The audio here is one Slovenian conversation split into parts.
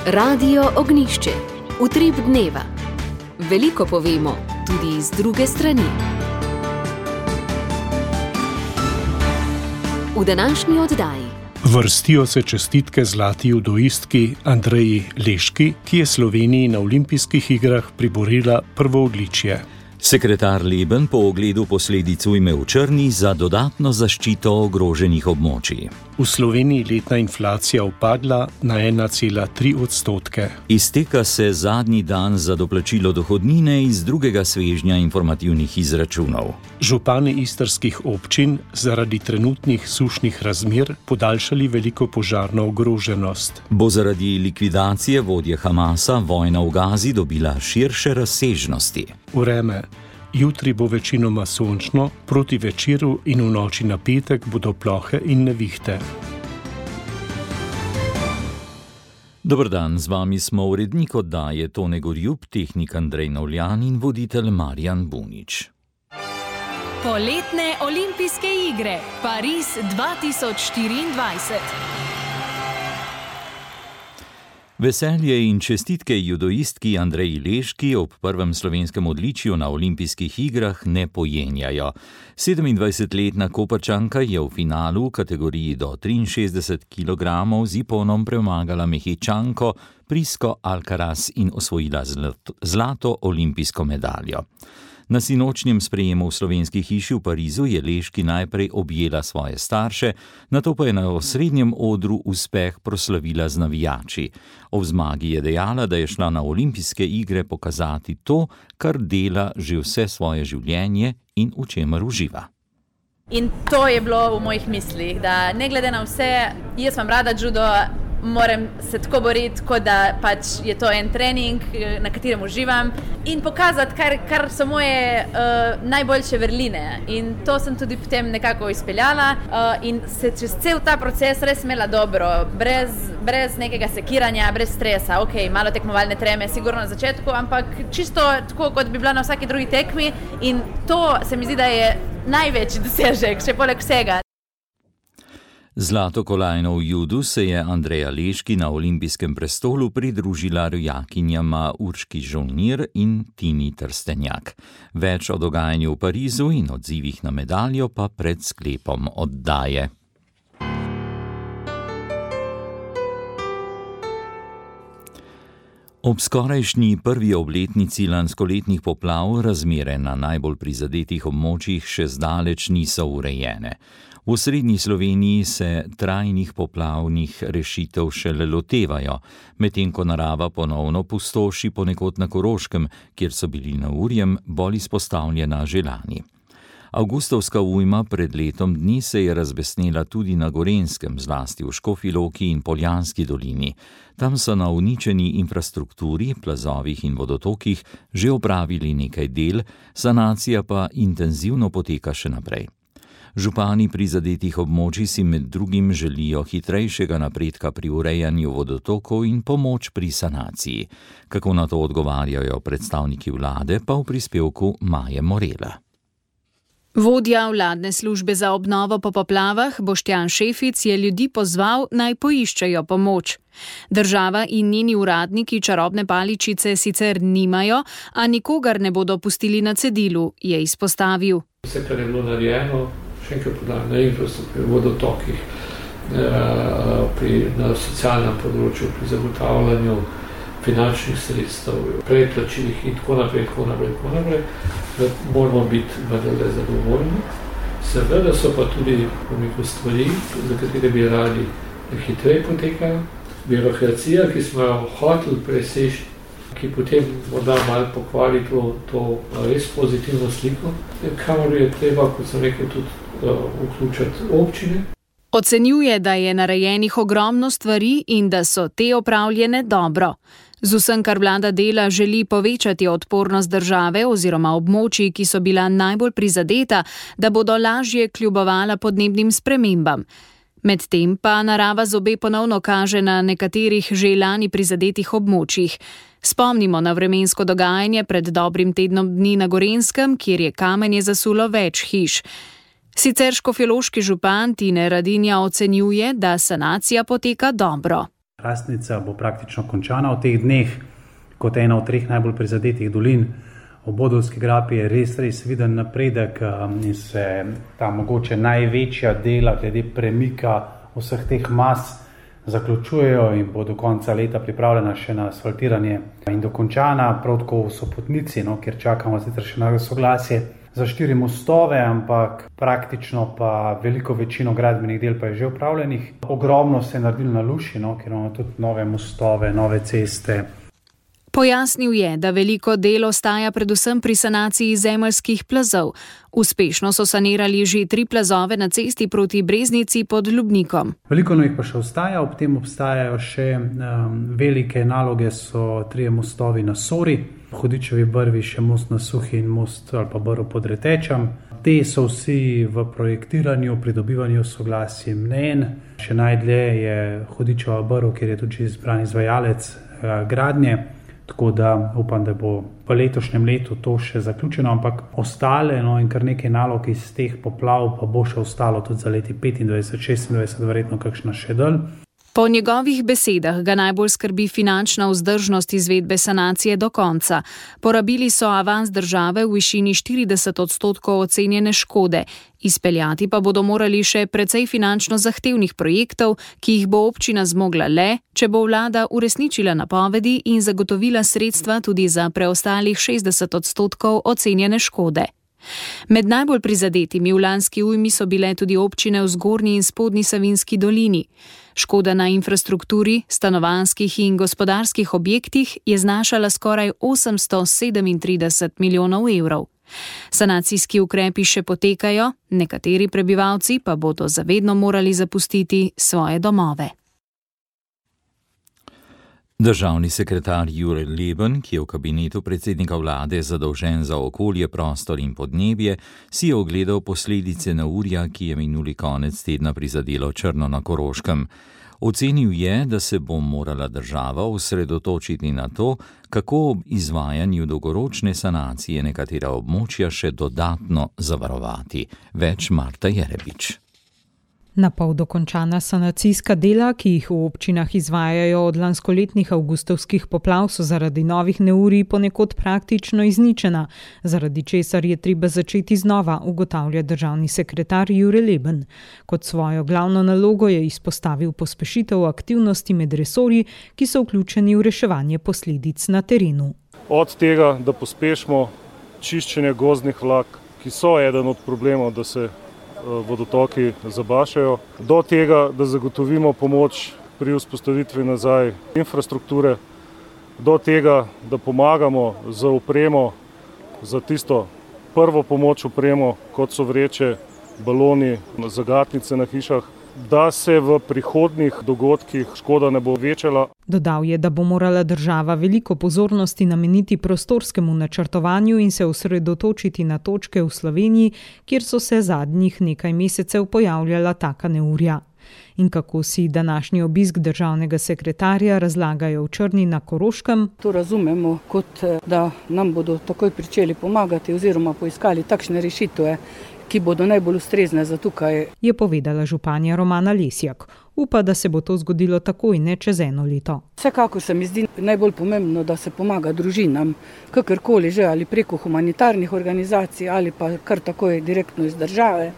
Radio Ognjišče. Utrip dneva. Veliko povemo, tudi iz druge strani. V današnji oddaji. Vrstijo se čestitke zlati judoistki Andreji Leški, ki je Sloveniji na olimpijskih igrah priborila prvo odličje. Sekretar Leben po ogledu posledic ujme v Črni za dodatno zaščito ogroženih območij. V Sloveniji letna inflacija upadla na 1,3%. Izteka se zadnji dan za doplačilo dohodnine iz drugega svežnja informativnih izračunov. Župani istrskih občin zaradi trenutnih sušnih razmer podaljšali veliko požarno ogroženost. Bo zaradi likvidacije vodje Hamasa vojna v Gazi dobila širše razsežnosti. Vreme. Jutri bo večinoma sončno, proti večeru in v noči na petek bodo plohe in nevihte. Dober dan, z vami smo urednik oddaje Tone Gorjup, tehnik Andrej Navljan in voditelj Marjan Bunič. Poletne olimpijske igre Pariz 2024. Veselje in čestitke judoistki Andreji Leški ob prvem slovenskem odličju na olimpijskih igrah ne pojenjajo. 27-letna Koprčanka je v finalu v kategoriji do 63 kg z iponom premagala Mehičanko Prisco Alcaraz in osvojila zlato olimpijsko medaljo. Na sinočnjem sprejemu v slovenski hiši v Parizu je Leški najprej objela svoje starše, nato pa je na osrednjem odru uspeh proslavila z navijači. Ob zmagi je dejala, da je šla na olimpijske igre pokazati to, kar dela že vse svoje življenje in v čemer uživa. In to je bilo v mojih mislih, da ne glede na vse, jaz imam rada judo, moram se tako boriti, kot da pač je to en trening, na katerem uživam in pokazati, kar so moje najboljše vrline. In to sem tudi potem nekako izpeljala in se čez cel ta proces res imela dobro, brez nekega sekiranja, brez stresa. Ok, malo tekmovalne treme, sigurno na začetku, ampak čisto tako, kot bi bila na vsaki drugi tekmi in to se mi zdi, da je največji dosežek, še poleg vsega. Zlato kolajno v judu se je Andreja Leški na olimpijskem prestolu pridružila rojakinjama Urški Žolnir in Tini Trstenjak. Več o dogajanju v Parizu in odzivih na medaljo pa pred sklepom oddaje. Ob skorajšnji prvi obletnici lanskoletnih poplav razmere na najbolj prizadetih območjih še zdaleč niso urejene. V srednji Sloveniji se trajnih poplavnih rešitev šele lotevajo, medtem ko narava ponovno pustoši ponekod na Koroškem, kjer so bili neurjem bolj izpostavljena že lani. Avgustovska ujma pred letom dni se je razbesnela tudi na Gorenjskem, zlasti v Škofji Loki in Poljanski dolini. Tam so na uničeni infrastrukturi, plazovih in vodotokih že opravili nekaj del, sanacija pa intenzivno poteka še naprej. Župani prizadetih območij si med drugim želijo hitrejšega napredka pri urejanju vodotokov in pomoč pri sanaciji. Kako na to odgovarjajo predstavniki vlade, pa v prispevku Maje Morela. Vodja vladne službe za obnovo po poplavah Boštjan Šefic je ljudi pozval, naj poiščejo pomoč. Država in njeni uradniki čarobne paličice sicer nimajo, a nikogar ne bodo pustili na cedilu, je izpostavil. Vse, kar je bilo narejeno, še enkrat podajam, na infrastrukturi, vodotokih, na socialnem področju, pri zagotavljanju finančnih sredstev, predplačilih in tako naprej, da moramo biti vendarle zadovoljni. Seveda so pa tudi stvari, za katere bi radi hitreje potekajo. Birokracija, ki smo jo hoteli preseči, ki potem morda malo pokvari to res pozitivno sliko, kamor je treba, kot sem rekel, tudi vključiti občine. Ocenjuje, da je narejenih ogromno stvari in da so te opravljene dobro. Z vsem, kar vlada dela, želi povečati odpornost države oziroma območij, ki so bila najbolj prizadeta, da bodo lažje kljubovala podnebnim spremembam. Medtem pa narava zobe ponovno kaže na nekaterih že lani prizadetih območjih. Spomnimo na vremensko dogajanje pred dobrim tednom dni na Gorenjskem, kjer je kamenje zasulo več hiš. Sicer škofjeloški župan Tine Radinja ocenjuje, da sanacija poteka dobro. Hrastnica bo praktično končana v teh dneh, kot ena od 3 najbolj prizadetih dolin. V Bodovski grapi je res viden napredek in se ta mogoče največja dela glede premika vseh teh mas zaključujejo in bo do konca leta pripravljena še na asfaltiranje in dokončana, prav tako v Sopotnici, kjer čakamo sicer še na soglasje za 4 mostove, ampak praktično pa veliko večino gradbenih del pa je že upravljenih. Ogromno se je naredilo na Luši, kjer imamo tudi nove mostove, nove ceste. Pojasnil je, da veliko del ostaja predvsem pri sanaciji zemeljskih plazov. Uspešno so sanirali že 3 plazove na cesti proti Breznici pod Ljubnikom. Veliko jih pa še ostaja, ob tem obstajajo še velike naloge, so 3 mostovi na Sori, Hudičevi brvi, še most na Suhi in most ali pa Brv pod Retečem. Te so vsi v projektiranju, pridobivanju soglasij mnenj. Še najdlje je Hudičeva brv, kjer je tudi izbran izvajalec gradnje. Tako da upam, da bo v letošnjem letu to še zaključeno, ampak ostale in kar nekaj nalog iz teh poplav pa bo še ostalo tudi za leti 25, 26, verjetno kakšna še dalj. Po njegovih besedah ga najbolj skrbi finančna vzdržnost izvedbe sanacije do konca. Porabili so avans države v višini 40% ocenjene škode. Izpeljati pa bodo morali še precej finančno zahtevnih projektov, ki jih bo občina zmogla le, če bo vlada uresničila napovedi in zagotovila sredstva tudi za preostalih 60% ocenjene škode. Med najbolj prizadetimi v lanski ujmi so bile tudi občine v Zgornji in Spodnji Savinjski dolini. Škoda na infrastrukturi, stanovanjskih in gospodarskih objektih je znašala skoraj 837 milijonov evrov. Sanacijski ukrepi še potekajo, nekateri prebivalci pa bodo zavedno morali zapustiti svoje domove. Državni sekretar Jure Leben, ki je v kabinetu predsednika vlade zadolžen za okolje, prostor in podnebje, si je ogledal posledice neurja, ki je minuli konec tedna prizadelo Črno na Koroškem. Ocenil je, da se bo morala država osredotočiti na to, kako ob izvajanju dolgoročne sanacije nekatera območja še dodatno zavarovati. Več Marta Jerebič. Na pol dokončana sanacijska dela, ki jih v občinah izvajajo od lanskoletnih avgustovskih poplav, so zaradi novih neurij ponekod praktično izničena, zaradi česar je treba začeti znova, ugotavlja državni sekretar Jure Leben. Kot svojo glavno nalogo je izpostavil pospešitev aktivnosti med resorji, ki so vključeni v reševanje posledic na terenu. Od tega, da pospešimo čiščenje gozdnih vlak, ki so eden od problemov, da se vodotoki zabašajo, do tega, da zagotovimo pomoč pri vzpostavitvi nazaj infrastrukture, do tega, da pomagamo za opremo, za tisto prvo pomoč opremo, kot so vreče, baloni, zagatnice na hišah, da se v prihodnjih dogodkih škoda ne bo večala. Dodal je, da bo morala država veliko pozornosti nameniti prostorskemu načrtovanju in se osredotočiti na točke v Sloveniji, kjer so se zadnjih nekaj mesecev pojavljala taka neurja. In kako si današnji obisk državnega sekretarja razlagajo v Črni na Koroškem? To razumemo kot, da nam bodo takoj pričeli pomagati oziroma poiskali takšne rešitve, ki bodo najbolj ustrezne za tukaj, je povedala županja Romana Lesjak. Upa, da se bo to zgodilo takoj, ne čez 1 leto. Vsekakor se mi zdi najbolj pomembno, da se pomaga družinam, kakorkoli že, ali preko humanitarnih organizacij ali pa kar takoj direktno iz države.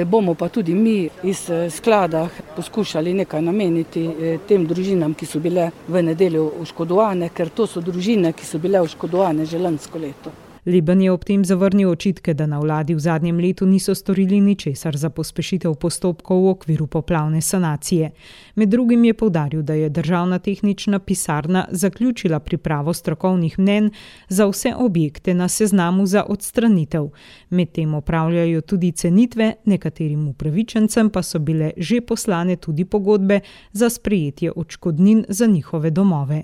Bomo pa tudi mi iz sklada poskušali nekaj nameniti tem družinam, ki so bile v nedeljo oškodovane, ker to so družine, ki so bile oškodovane že lansko leto. Leben je ob tem zavrnil očitke, da na vladi v zadnjem letu niso storili ničesar za pospešitev postopkov v okviru poplavne sanacije. Med drugim je poudaril, da je državna tehnična pisarna zaključila pripravo strokovnih mnenj za vse objekte na seznamu za odstranitev. Medtem opravljajo tudi cenitve, nekaterim upravičencem pa so bile že poslane tudi pogodbe za sprejetje odškodnin za njihove domove.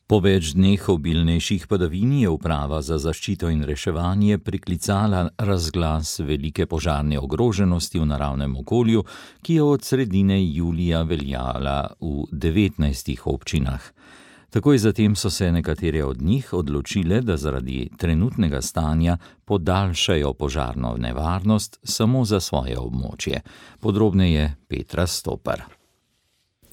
Po več dneh obilnejših padavin je uprava za zaščito in reševanje priklicala razglas velike požarne ogroženosti v naravnem okolju, ki je od sredine julija veljala v 19 občinah. Takoj zatem so se nekatere od njih odločile, da zaradi trenutnega stanja podaljšajo požarno nevarnost samo za svoje območje. Podrobneje Petra Stopar.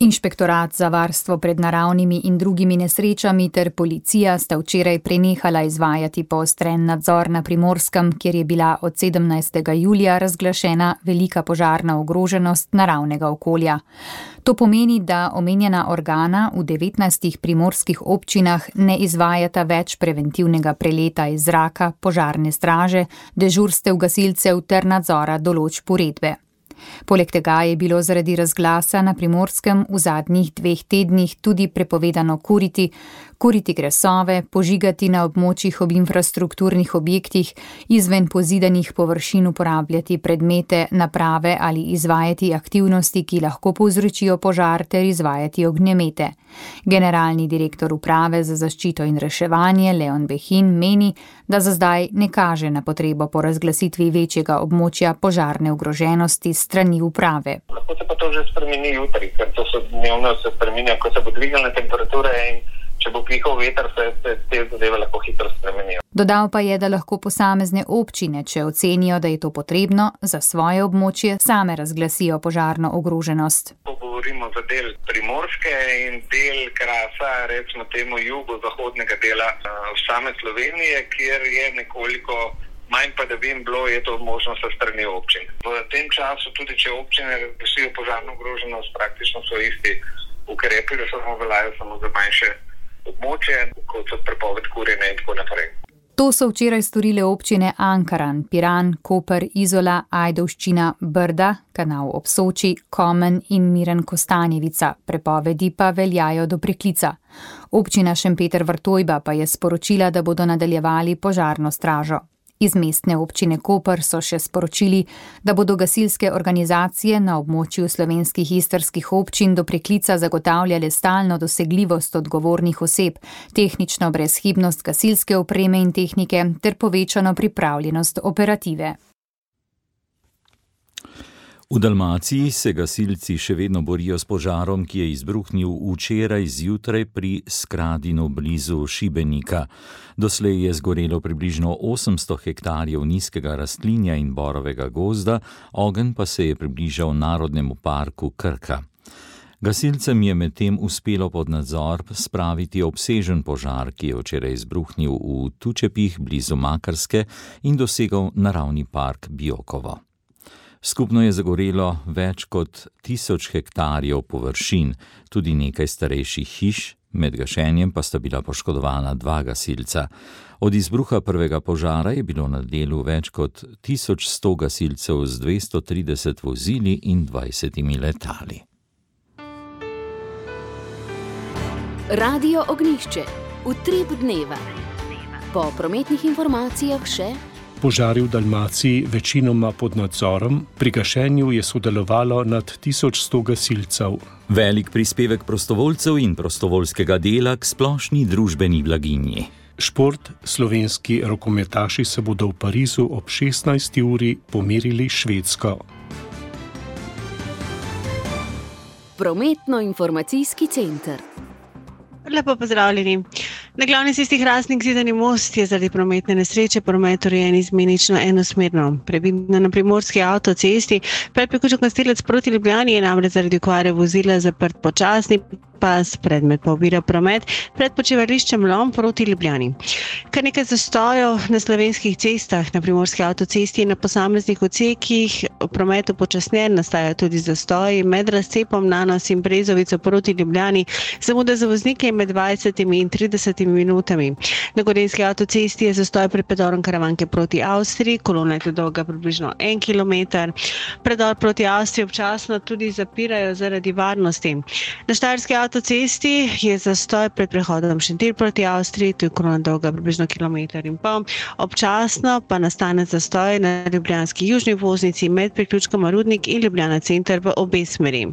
Inšpektorat za varstvo pred naravnimi in drugimi nesrečami ter policija sta včeraj prenehala izvajati poostren nadzor na Primorskem, kjer je bila od 17. julija razglašena velika požarna ogroženost naravnega okolja. To pomeni, da omenjena organa v 19 primorskih občinah ne izvajata več preventivnega preleta iz zraka, požarne straže, dežurstev gasilcev ter nadzora določb uredbe. Poleg tega je bilo zaradi razglasa na Primorskem v zadnjih 2 tednih tudi prepovedano kuriti gresove, požigati na območjih ob infrastrukturnih objektih, izven pozidanih površin uporabljati predmete, naprave ali izvajati aktivnosti, ki lahko povzročijo požar ter izvajati ognjemete. Generalni direktor uprave za zaščito in reševanje Leon Behin meni, da za zdaj ne kaže na potrebo po razglasitvi večjega območja požarne ogroženosti strani uprave. Lahko se pa to že spremeni jutri, ker to se dnevno spreminja, ko se bo dvignila temperatura in če bo pihal veter, se te zadeve lahko hitro spremenijo. Dodal pa je, da lahko posamezne občine, če ocenijo, da je to potrebno, za svoje območje same razglasijo požarno ogroženost. Govorimo za del Primorske in del Krasa, recimo temu jugozahodnega dela same Slovenije, kjer je nekoliko manj padavin bilo, je to možnost sa strani občin. V tem času, tudi če občine razglasijo požarno ogroženost, praktično so isti ukrepi, da samo veljajo samo za manjše območje, kot so prepoved kurjenja in tako naprej. To so včeraj storile občine Ankaran, Piran, Koper, Izola, Ajdovščina, Brda, Kanal ob Soči, Komen in Miren Kostanjevica. Prepovedi pa veljajo do preklica. Občina Šempeter Vrtojba pa je sporočila, da bodo nadaljevali požarno stražo. Iz mestne občine Koper so še sporočili, da bodo gasilske organizacije na območju slovenskih istrskih občin do preklica zagotavljale stalno dosegljivost odgovornih oseb, tehnično brezhibnost gasilske opreme in tehnike ter povečano pripravljenost operative. V Dalmaciji se gasilci še vedno borijo s požarom, ki je izbruhnil včeraj zjutraj pri Skradinu blizu Šibenika. Doslej je zgorelo približno 800 hektarjev nizkega rastlinja in borovega gozda, ogenj pa se je približal Narodnemu parku Krka. Gasilcem je medtem uspelo pod nadzor spraviti obsežen požar, ki je včeraj izbruhnil v Tučepih blizu Makarske in dosegal naravni park Biokovo. Skupno je zagorelo več kot 1000 hektarjev površin, tudi nekaj starejših hiš, med gašenjem pa sta bila poškodovana 2 gasilca. Od izbruha prvega požara je bilo na delu več kot 1100 gasilcev z 230 vozili in 20 letali. Radio Ognjišče, utrip dneva. Po prometnih informacijah še Požari v Dalmaciji večinoma pod nadzorom, pri gašenju je sodelovalo nad 1100 gasilcev. Velik prispevek prostovoljcev in prostovoljskega dela k splošni družbeni blaginji. Šport, slovenski rokometaši se bodo v Parizu ob 16. uri pomerili s Švedsko. Prometno-informacijski center. Lepo pozdravljeni. Na glavni cesti Hrastnik-Zidani most je zaradi prometne nesreče promet urejen izmenično enosmerno. Previdno na primorski avtocesti, predpriključek Nastelec proti Ljubljani je namreč zaradi okvare vozila zaprt počasni pas, predmet pa ovira promet pred počivališčem Lom proti Ljubljani. Kar nekaj zastojev na slovenskih cestah, na primorski avtocesti in na posameznih odsekih v prometu počasnjen, nastajajo tudi zastoji med razcepom Nanos in Brezovico proti Ljubljani, zamude za voznike med 20 in 30 minutami. Na gorenjski avtocesti je zastoj pred predorom Karavanke proti Avstriji, kolona je dolga približno 1 kilometer. Predor proti Avstriji občasno tudi zapirajo zaradi varnosti. Na štajerski avtocesti je zastoj pred prehodom Šentilj proti Avstriji, tu je kolona dolga približno 1,5 kilometra. Občasno pa nastane zastoj na ljubljanski južni voznici med priključkoma Rudnik in Ljubljana center v obe smeri.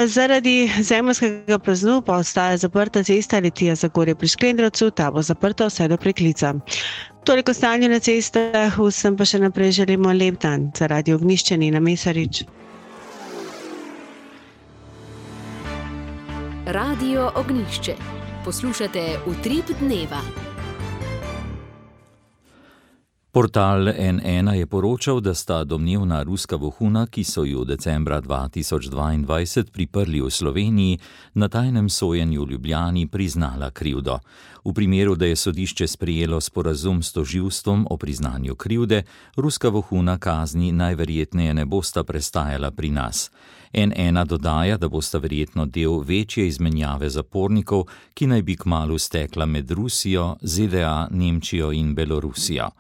Zaradi zemeljskega plaznu pa ostaja zaprta cesta Litija-Zagorje pri Šklendrovcu, ta bo zaprta vse do preklica. Toliko stanje na cestah, vsem pa še naprej želimo lep dan. Za Radio Ognjišče Nina Mesarič. Radio Ognjišče. Poslušate Utrip dneva. Portal N1 je poročal, da sta domnevna ruska vohuna, ki so ju decembra 2022 priprli v Sloveniji, na tajnem sojenju v Ljubljani priznala krivdo. V primeru, da je sodišče sprejelo sporazum s tožilstvom o priznanju krivde, ruska vohuna kazni najverjetneje ne bosta prestajala pri nas. N1 dodaja, da bosta verjetno del večje izmenjave zapornikov, ki naj bi kmalu stekla med Rusijo, ZDA, Nemčijo in Belorusijo.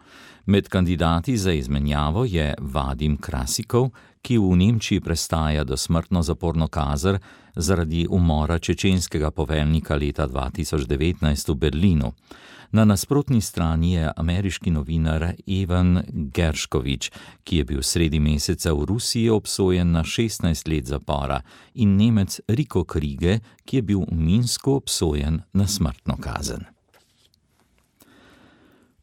Med kandidati za izmenjavo je Vadim Krasikov, ki v Nemčiji prestaja dosmrtno zaporno kazen zaradi umora čečenskega poveljnika leta 2019 v Berlinu. Na nasprotni strani je ameriški novinar Evan Gershkovich, ki je bil sredi meseca v Rusiji obsojen na 16 let zapora, in Nemec Rico Krige, ki je bil v Minsku obsojen na smrtno kazen.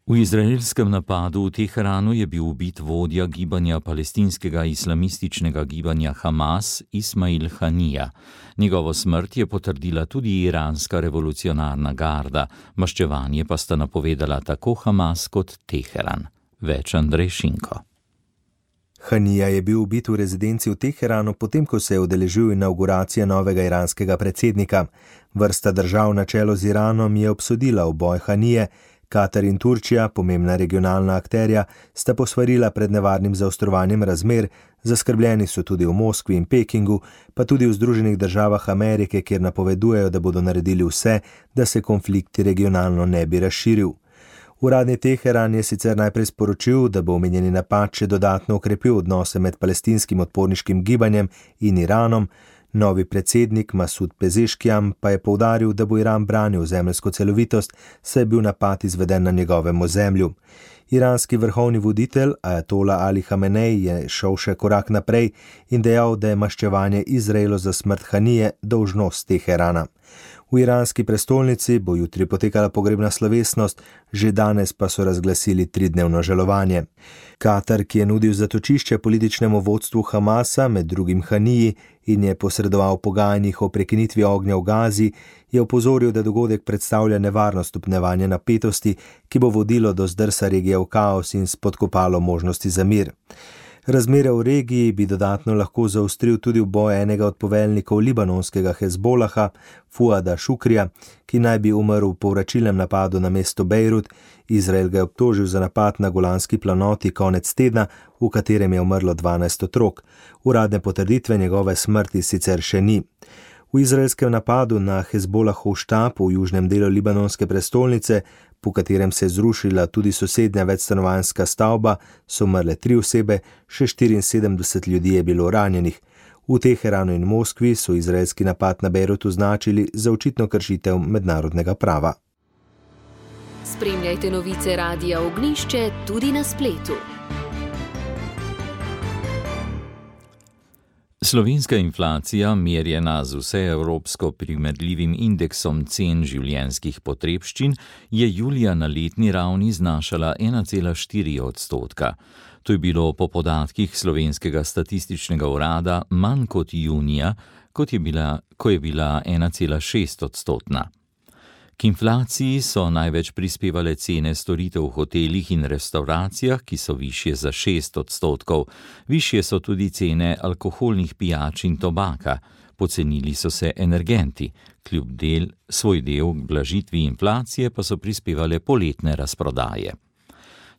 V izraelskem napadu v Teheranu je bil ubit vodja gibanja palestinskega islamističnega gibanja Hamas Ismail Hanija. Njegovo smrt je potrdila tudi iranska revolucionarna garda, maščevanje pa sta napovedala tako Hamas kot Teheran. Več Andrej Šinko. Hanija je bil ubit v rezidenci v Teheranu, potem ko se je udeležil inauguracije novega iranskega predsednika. Vrsta držav na čelu z Iranom je obsodila uboj Hanije. Katar in Turčija, pomembna regionalna akterja, sta posvarila pred nevarnim zaostrovanjem razmer, zaskrbljeni so tudi v Moskvi in Pekingu, pa tudi v Združenih državah Amerike, kjer napovedujejo, da bodo naredili vse, da se konflikt regionalno ne bi razširil. Uradni Teheran je sicer najprej sporočil, da bo omenjeni napad še dodatno okrepil odnose med palestinskim odporniškim gibanjem in Iranom. Novi predsednik Masud Pezeškian pa je poudaril, da bo Iran branil zemeljsko celovitost, saj je bil napad izveden na njegovem ozemlju. Iranski vrhovni voditelj Ajatola Ali Hamenej je šel še korak naprej in dejal, da je maščevanje Izraelu za smrt Hanije dolžnost Teherana. V iranski prestolnici bo jutri potekala pogrebna slovesnost, že danes pa so razglasili 3-dnevno žalovanje. Katar, ki je nudil zatočišče političnemu vodstvu Hamasa, med drugim Haniji, in je posredoval pogajanjih o prekinitvi ognja v Gazi, je opozoril, da dogodek predstavlja nevarno stopnjevanje napetosti, ki bo vodilo do zdrsa regije v kaos in spodkopalo možnosti za mir. Razmere v regiji bi dodatno lahko zaostril tudi uboj enega od poveljnikov libanonskega Hezbolaha, Fuada Šukrija, ki naj bi umrl v povračilnem napadu na mesto Bejrut. Izrael ga je obtožil za napad na Golanski planoti konec tedna, v katerem je umrlo 12 otrok. Uradne potrditve njegove smrti sicer še ni. V izraelskem napadu na Hezbolahov štab v južnem delu libanonske prestolnice, po katerem se je zrušila tudi sosednja večstanovanjska stavba, so umrle 3 osebe, še 74 ljudi je bilo ranjenih. V Teheranu in Moskvi so izraelski napad na Bejrut označili za očitno kršitev mednarodnega prava. Spremljajte novice Radia Ognjišče tudi na spletu. Slovenska inflacija, merjena z vseevropsko primerljivim indeksom cen življenjskih potrebščin, je julija na letni ravni znašala 1,4%. To je bilo po podatkih Slovenskega statističnega urada manj kot junija, ko je bila 1,6%. K inflaciji so največ prispevale cene storitev v hotelih in restavracijah, ki so višje za 6%. Višje so tudi cene alkoholnih pijač in tobaka. Pocenili so se energenti. Svoj del k blažitvi inflacije pa so prispevale poletne razprodaje.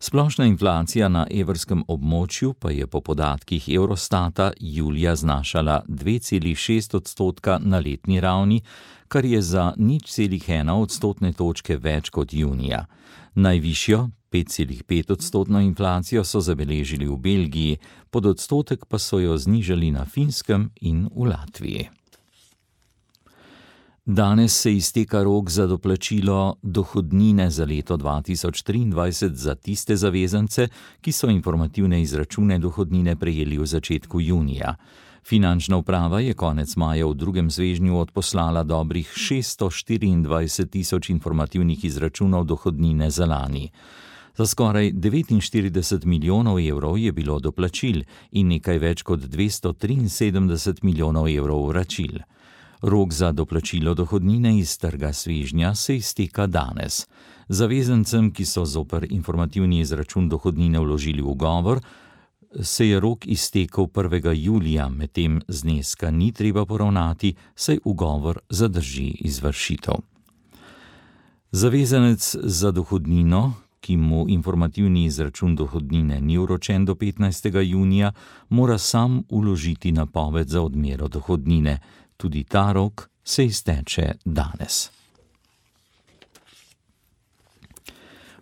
Splošna inflacija na evrskem območju pa je po podatkih Eurostata julija znašala 2,6% na letni ravni, kar je za 0,1 odstotne točke več kot junija. Najvišjo, 5,5% inflacijo so zabeležili v Belgiji, pod odstotek pa so jo znižali na Finskem in v Latviji. Danes se izteka rok za doplačilo dohodnine za leto 2023 za tiste zavezance, ki so informativne izračune dohodnine prejeli v začetku junija. Finančna uprava je konec maja v drugem svežnju odposlala dobrih 624.000 informativnih izračunov dohodnine za lani. Za skoraj 49 milijonov evrov je bilo doplačil in nekaj več kot 273 milijonov evrov vračil. Rok za doplačilo dohodnine iz trga svežnja se izteka danes. Zavezancem, ki so zoper informativni izračun dohodnine vložili ugovor, se je rok iztekel 1. julija, medtem zneska ni treba poravnati, saj ugovor zadrži izvršitev. Zavezanec za dohodnino, ki mu informativni izračun dohodnine ni vročen do 15. junija, mora sam vložiti napoved za odmero dohodnine. Tudi ta rok se izteče danes.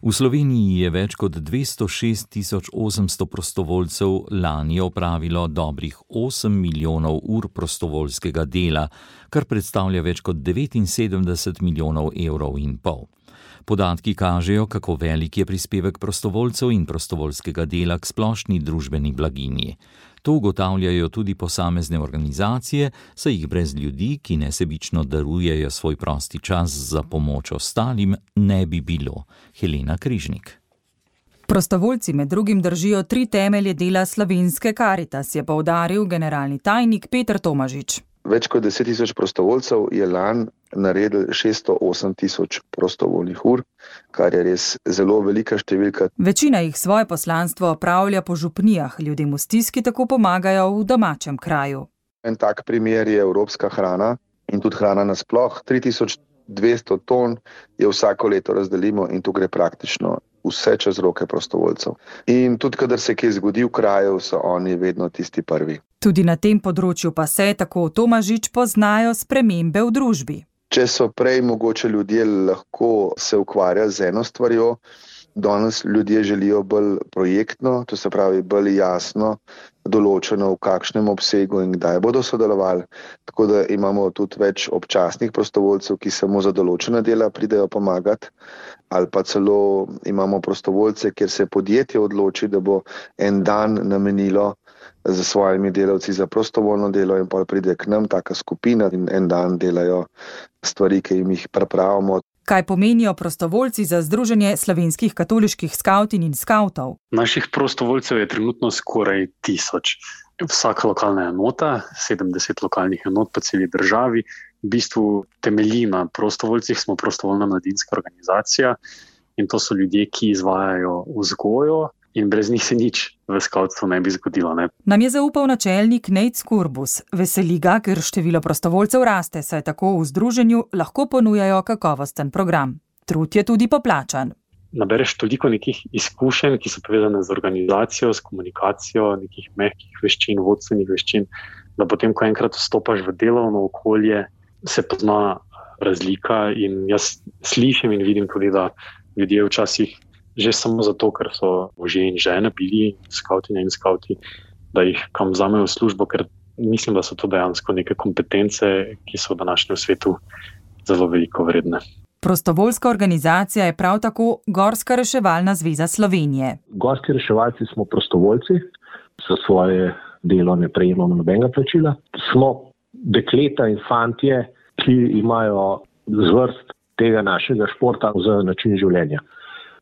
V Sloveniji je več kot 206 800 prostovoljcev lani opravilo dobrih 8 milijonov ur prostovoljskega dela, kar predstavlja več kot 79 milijonov evrov in pol. Podatki kažejo, kako velik je prispevek prostovoljcev in prostovoljskega dela k splošni družbeni blaginji. To ugotavljajo tudi posamezne organizacije, saj jih brez ljudi, ki nesebično darujejo svoj prosti čas za pomoč ostalim, ne bi bilo. Helena Križnik. Prostovoljci med drugim držijo 3 temelje dela Slovenske Karitas, je poudaril generalni tajnik Peter Tomažič. Več kot 10 tisoč prostovoljcev je lani naredil 608 tisoč prostovoljnih ur, kar je res zelo velika številka. Večina jih svoje poslanstvo opravlja po župnijah, ljudem v stiski tako pomagajo v domačem kraju. En tak primer je evropska hrana in tudi hrana nasploh. 3200 ton je vsako leto razdelimo in tu gre praktično vse čez roke prostovoljcev. In tudi, kadar se kaj zgodi v kraju, so oni vedno tisti prvi. Tudi na tem področju pa se, tako Tomažič, poznajo spremembe v družbi. Če so prej mogoče ljudje lahko se ukvarjali z eno stvarjo, danes ljudje želijo bolj projektno, to se pravi bolj jasno določeno, v kakšnem obsegu in kdaj bodo sodelovali. Tako da imamo tudi več občasnih prostovoljcev, ki samo za določena dela pridejo pomagati, ali pa celo imamo prostovoljce, kjer se podjetje odloči, da bo en dan namenilo za svojimi delavci za prostovoljno delo in pa pride k nam taka skupina in en dan delajo stvari, ki jim jih pripravimo. Kaj pomenijo prostovoljci za Združenje slovenskih katoliških skavtin in skavtov? Naših prostovoljcev je trenutno skoraj 1000. Vsaka lokalna enota, 70 lokalnih enot po celi državi, v bistvu temelji na prostovoljcih, smo prostovoljna mladinska organizacija in to so ljudje, ki izvajajo vzgojo in brez njih se nič v skavtstvu ne bi zgodilo. Ne? Nam je zaupal načelnik Nejc Kurbus. Veseli ga, ker število prostovoljcev raste, saj tako v združenju lahko ponujajo kakovosten program. Trud je tudi poplačan. Nabereš toliko nekih izkušenj, ki so povezane z organizacijo, s komunikacijo, nekih mehkih veščin, vodstvenih veščin, da potem, ko enkrat vstopaš v delovno okolje, se pozna razlika in jaz slišim in vidim tudi, da ljudje včasih že samo zato, ker so možje in žene bili skavtinje in skavti, da jih kam vzamejo v službo, ker mislim, da so to dejansko neke kompetence, ki so v današnjem svetu zelo veliko vredne. Prostovoljska organizacija je prav tako Gorska reševalna zveza Slovenije. Gorski reševalci smo prostovoljci, za svoje delo ne prejemamo nobenega plačila. Smo dekleta in fantje, ki imajo zvrst tega našega športa za način življenja.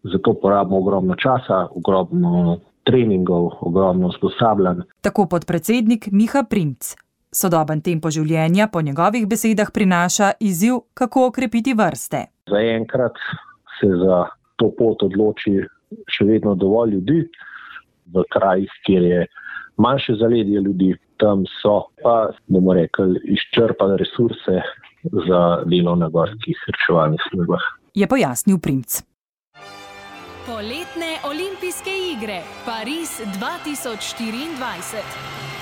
Zato porabimo ogromno časa, ogromno treningov, ogromno usposabljanj. Tako podpredsednik Miha Primc. Sodoben tempo življenja po njegovih besedah prinaša izziv, kako okrepiti vrste. Zaenkrat se za to pot odloči še vedno dovolj ljudi v krajih, kjer je manjše zaledje ljudi. Tam so pa, bomo rekli, izčrpane resurse za delo na gorskih reševalnih službah. Je pojasnil Primc. Poletne olimpijske igre Pariz 2024.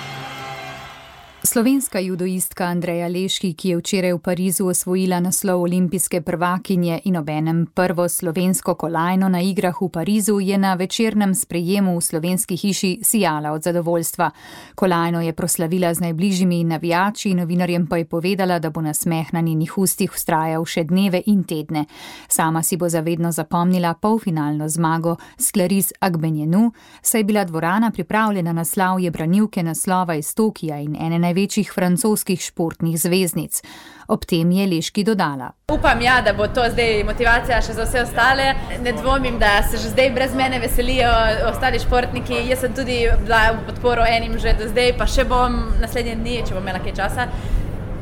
Slovenska judoistka Andreja Leški, ki je včeraj v Parizu osvojila naslov olimpijske prvakinje in obenem prvo slovensko kolajno na igrah v Parizu, je na večernem sprejemu v Slovenski hiši sijala od zadovoljstva. Kolajno je proslavila z najbližjimi navijači, novinarjem pa je povedala, da bo nasmeh na njenih ustih vztrajal še dneve in tedne. Sama si bo zavedno zapomnila polfinalno zmago s Clarisse Agbenienou, saj je bila dvorana pripravljena na slavje branilke naslova iz Tokija in ene največjih francoskih športnih zvezdnic. Ob tem je Leški dodala. Upam, da bo to zdaj motivacija še za vse ostale. Ne dvomim, da se že zdaj brez mene veselijo ostali športniki. Jaz sem tudi bila v podporo enim že do zdaj, pa še bom naslednje dni, če bom imela kaj časa.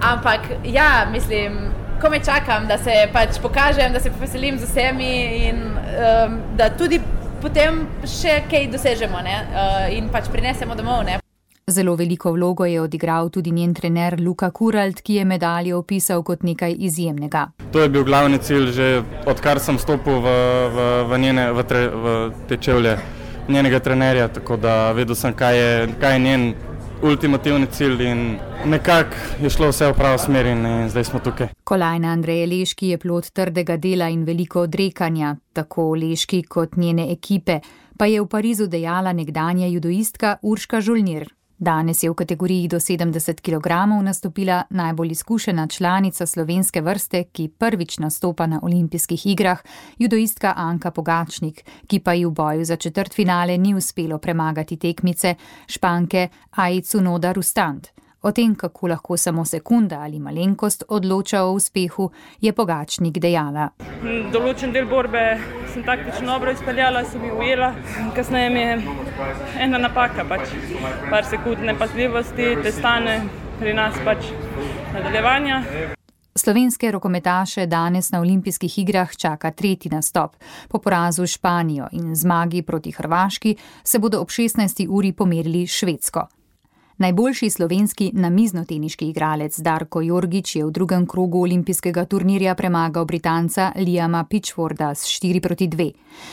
Ampak mislim, komaj čakam, da se pač pokažem, da se poveselim z vsemi in da tudi potem še kaj dosežemo, ne? In pač prinesemo domov, ne? Zelo veliko vlogo je odigral tudi njen trener Luka Kuralt, ki je medaljo opisal kot nekaj izjemnega. To je bil glavni cilj, že odkar sem stopil v te čevlje njenega trenerja, tako da vedel sem, kaj je njen ultimativni cilj in nekako je šlo vse v pravo smer in zdaj smo tukaj. Kolajna Andreje Leški je plod trdega dela in veliko odrekanja, tako Leški kot njene ekipe, pa je v Parizu dejala nekdanja judoistka Urška Žolnir. Danes je v kategoriji do 70 kg nastopila najbolj izkušena članica slovenske vrste, ki prvič nastopa na olimpijskih igrah, judoistka Anka Pogačnik, ki pa ji v boju za četrtfinale ni uspelo premagati tekmice Španke Aji Tsunoda Rustand. O tem, kako lahko samo sekunda ali malenkost odloča o uspehu, je Pogačnik dejala. Določen del borbe sem taktično dobro izpeljala, sem jo ujela. Kasneje mi je ena napaka, par sekund nepazljivosti, te stane pri nas nadaljevanja. Slovenske rokometaše danes na olimpijskih igrah čaka 3. nastop. Po porazu Španijo in zmagi proti Hrvaški se bodo ob 16. uri pomerili Švedsko. Najboljši slovenski namiznoteniški igralec Darko Jorgić je v drugem krogu olimpijskega turnirja premagal Britanca Liama Pitchforda s 4-2.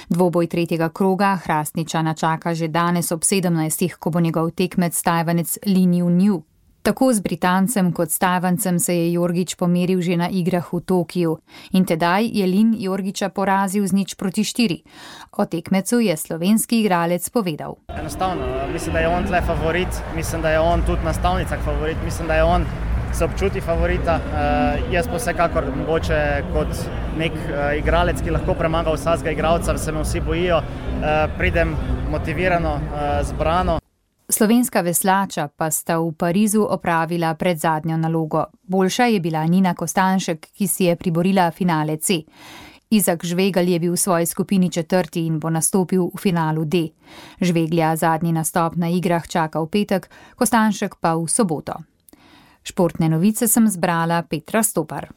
Dvoboj 3. kroga Hrastničana čaka že danes ob 17. ko bo njegov tekmec Tajvanec Lin Junju. Tako z Britancem kot s Tajvancem se je Jorgić pomeril že na igrah v Tokiju in tedaj je Lin Jorgića porazil z 0-4. O tekmecu je slovenski igralec povedal. Enostavno, mislim, da je on tle favorit, mislim, da je on tudi na stavnicah favorit, mislim, da je on se občuti favorita. Jaz pa vsekakor mogoče kot nek igralec, ki lahko premaga vsakega igralca, se me vsi bojijo, pridem motivirano, zbrano. Slovenska veslača pa sta v Parizu opravila predzadnjo nalogo. Boljša je bila Nina Kostanšek, ki si je priborila finale C. Izak Žvegelj je bil v svoji skupini 4. in bo nastopil v finalu D. Žveglja zadnji nastop na igrah čaka v petek, Kostanšek pa v soboto. Športne novice sem zbrala Petra Stopar.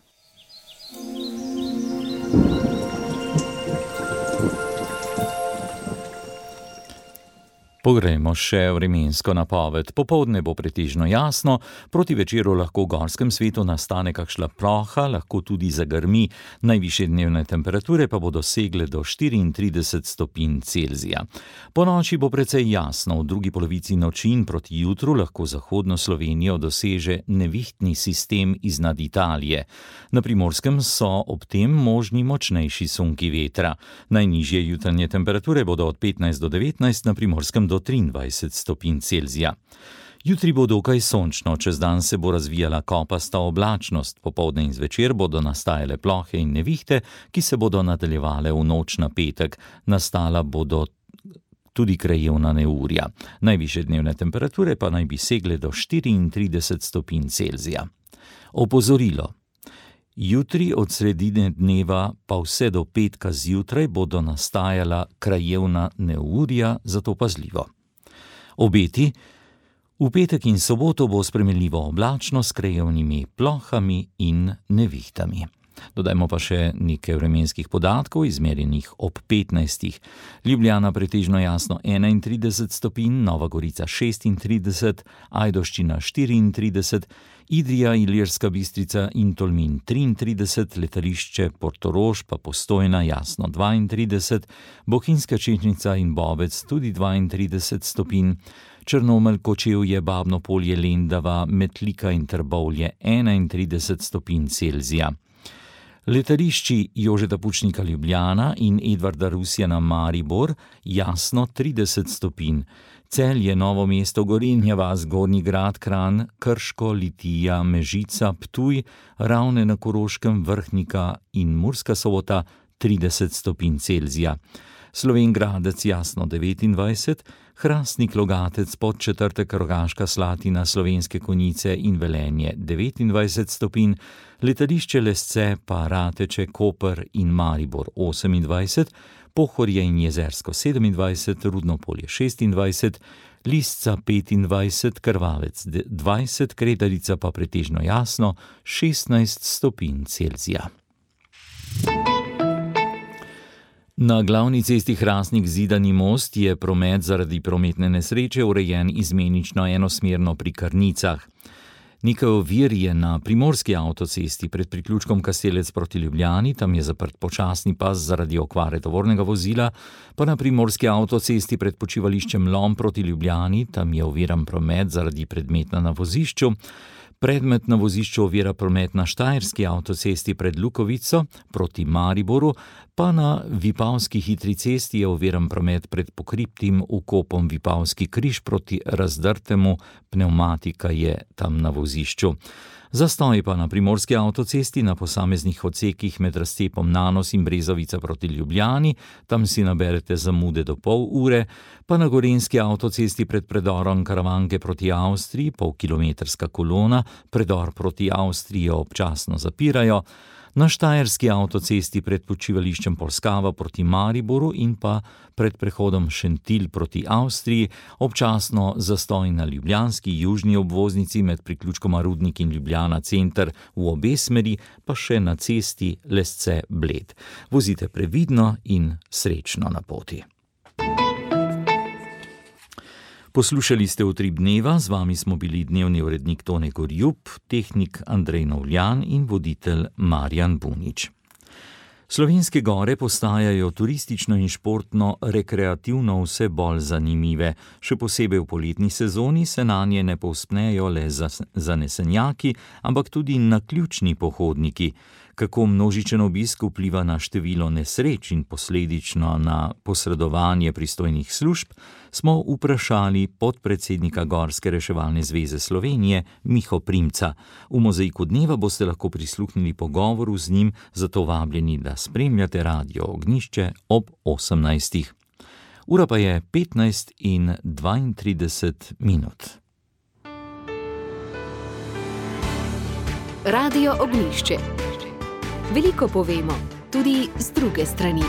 Pogrejmo še vremensko napoved. Popoldne bo pretežno jasno, proti večeru lahko v gorskem svetu nastane kakšna ploha, lahko tudi zagrmi, najvišje dnevne temperature pa bodo segle do 34 stopinj Celzija. Po noči bo precej jasno, v drugi polovici noči in proti jutru lahko zahodno Slovenijo doseže nevihtni sistem iznad Italije. Na Primorskem so ob tem možni močnejši sunki vetra. Najnižje jutranje temperature bodo od 15 do 19, na Primorskem do 23 stopinj Celzija. Jutri bo dokaj sončno, čez dan se bo razvijala kopasta oblačnost, popoldne in zvečer bodo nastajale plohe in nevihte, ki se bodo nadaljevale v noč na petek. Nastala bodo tudi krajevna neurja. Najvišje dnevne temperature pa naj bi segle do 34 stopinj Celzija. Opozorilo. Jutri od sredine dneva pa vse do petka zjutraj bodo nastajala krajevna neurja, zato pazljivo. Obeti. V petek in soboto bo spremenljivo oblačno s krajevnimi plohami in nevihtami. Dodajmo pa še nekaj vremenskih podatkov, izmerjenih ob 15. Ljubljana pretežno jasno 31 stopinj, Nova Gorica 36, Ajdovščina 34, Idrija, Ilirska Bistrica in Tolmin 33, letališče Portorož pa Postojna jasno 32, Bohinjska Čečnica in Bovec tudi 32 stopinj, Črnomelj, Kočevje, Babno Polje, Lendava, Metlika in Trbovlje 31 stopinj Celzija. Letališči Jožeta Pučnika Ljubljana in Edvarda Rusjana Maribor jasno 30 stopinj. Celje, Novo mesto, Gorenja vas, Gornji Grad, Kranj, Krško, Litija, Mežica, Ptuj, Ravne na Koroškem, Vrhnika in Murska Sobota 30 stopinj Celzija. Slovenj Gradec jasno 29, Hrastnik, Logatec, Podčetrtek, Rogaška Slatina, Slovenske Konjice in Velenje 29 stopinj, letališče Lesce pa Rateče, Koper in Maribor 28, Pohorje in Jezersko 27, Rudno polje 26, Lisca 25, Krvavec 20, Kredarica pa pretežno jasno 16 stopinj Celzija. Na glavni cesti Hrastnik-Zidani Most je promet zaradi prometne nesreče urejen izmenično enosmerno pri Krnicah. Nekaj ovir je na primorski avtocesti pred priključkom Kastelec proti Ljubljani, tam je zaprt počasni pas zaradi okvare tovornega vozila, pa na primorski avtocesti pred počivališčem Lom proti Ljubljani, tam je oviran promet zaradi predmeta na vozišču. Predmet na vozišču ovira promet na Štajerski avtocesti pred Lukovico proti Mariboru, pa na Vipavski hitri cesti je oviran promet pred pokriptim vkopom Vipavski križ proti Razdrtemu, pnevmatika je tam na vozišču. Zastoj pa na primorski avtocesti na posameznih odsekih med razcepom Nanos in Brezovica proti Ljubljani, tam si naberete zamude do pol ure, pa na gorenjski avtocesti pred predorom Karavanke proti Avstriji, polkilometrska kolona, predor proti Avstriji občasno zapirajo, na Štajerski avtocesti pred počivališčem Polskava proti Mariboru in pa pred prehodom Šentilj proti Avstriji, občasno zastoj na ljubljanski južni obvoznici med priključkoma Rudnik in Ljubljana center v obe smeri, pa še na cesti Lesce-Bled. Vozite previdno in srečno na poti. Poslušali ste Utrip dneva, z vami smo bili dnevni urednik Tone Gorjup, tehnik Andrej Novljan in voditelj Marjan Bunič. Slovenske gore postajajo turistično in športno rekreativno vse bolj zanimive. Še posebej v poletni sezoni se nanje ne povzpnejo le zanesenjaki, ampak tudi naključni pohodniki. Kako množičen obisk vpliva na število nesreč in posledično na posredovanje pristojnih služb, smo vprašali podpredsednika Gorske reševalne zveze Slovenije Miho Primca. V Mozaiku dneva boste lahko prisluhnili pogovoru z njim, zato vabljeni, da spremljate Radio Ognjišče ob 18. Ura pa je 15:32 minut. Radio Ognjišče. Veliko povemo, tudi z druge strani.